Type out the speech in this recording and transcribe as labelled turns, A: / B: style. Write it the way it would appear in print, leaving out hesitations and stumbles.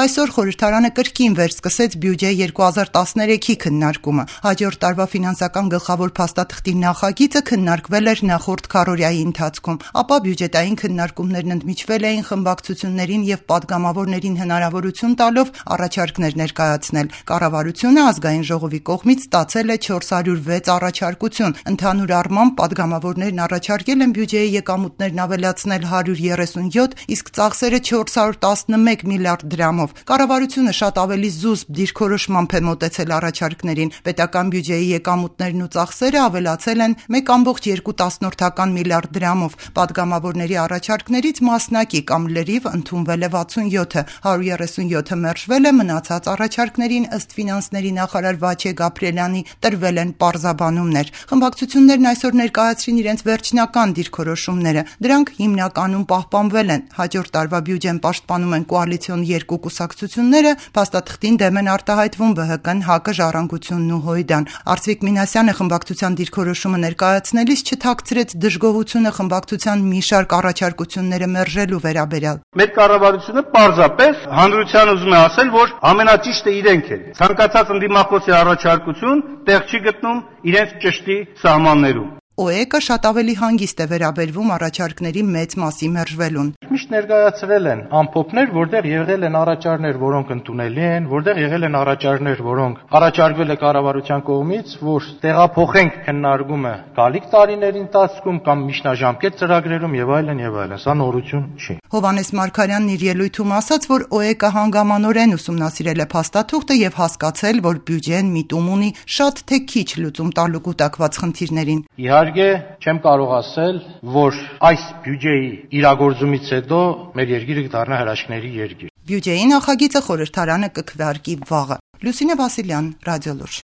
A: Այսօր խորհրդարանը կրկին վերսկսեց բյուջե 2013-ի քննարկումը։ Հաջորդ տարվա ֆինանսական գլխավոր փաստաթղթի նախագիծը քննարկվել էր նախորդ քառօրյայի ընթացքում, ապա բյուջետային քննարկումներն ընդմիջվել էին խմբակցություններին եւ падգամավորներին հնարավորություն տալով առաջարկներ ներկայացնել։ Կառավարությունը ազգային ժողովի կողմից ստացել է 406 առաջարկություն։ Ընդհանուր առմամբ падգամավորներն առաջարկել են բյուջեի եկամուտներն ավելացնել 137, իսկ ծախսերը 411 միլիարդ դրամով։ Կառավարությունը շատ ավելի զուսպ դիրքորոշմամբ է մոտեցել առաջարկներին։ Պետական բյուջեի եկամուտներն ու ծախսերը ավելացել են 1,2 միլիարդ դրամով։ Падգամավորների առաջարկներից մասնակի կամ լրիվ ընդունվել է 67-ը, 137-ը մերժվել է, մնացած առաջարկներին ըստ ֆինանսների նախարար Վաչե Գաբրիելյանի տրվել են պարզաբանումներ։ Խմբակցություններն այսօր ներկայացրին իրենց վերջնական դիրքորոշումները։ Դրանք հիմնականում պահպանվել են։ Հաջորդ տարվա բյուջեն պաշտպանում են կոալիցիոն երկու կուսակցությունները, փաստաթղթին դեմ են արտահայտվում ԲՀԿ-ն, ՀԱԿ-ը, Ժառանգությունն ու ՀՅԴ-ն։ Արծվիկ Մինասյանը խմբակցության դիրքորոշումը ներկայացնելիս չթաքցրեց դժգոհությունը խմբակցության մի շարք առաջարկությունները մերժելու վերաբերյալ։
B: Մեր կառավարությունը պարզապես հանրության ուզում է ասել, որ ամենաճիշտը իրենք են։ Ցանկացած ընդդիմախոսի առաջարկություն տեղ չի գտնում իրենց ճշտի սահմաններում։
A: ՕԵԿ-ը շատ ավելի հանգիստ է վերաբերվում առաջարկների մեծ մասի մերժվելուն։
C: Միշտ ներկայացրել են ամփոփներ, որտեղ եղել են առաջարկներ, որոնք ընդունելի են, որտեղ եղել են առաջարկներ, որոնք առաջարկվել է կառավարության կողմից, որ տեղափոխենք քննարկումը գալիք տարիների ընթացքում կամ միջնաժամկետ ծրագրերում եւ այլն եւ այլն։ Սա նորություն չի։
A: Հովհաննես Մարգարյանն իր ելույթում ասաց, որ ՕԵԿ-ը հանգամանորեն ուսումնասիրել է փաստաթուղթը եւ հասկացել, որ բյուջեն միտում ունի շատ թե քիչ լուծում տալու կուտակված խնդիրներին։
C: Իհարկե, չեմ կարող ասել, որ այս բյուջեի իրագործումից հետո մեր երկիրը կդառնա հրաշքների երկիր։
A: Բյուջեի նախագիծը խորհրդարանը կքվեարկի վաղը։ Լուսինե Վասիլյան, Ռադիոլուր։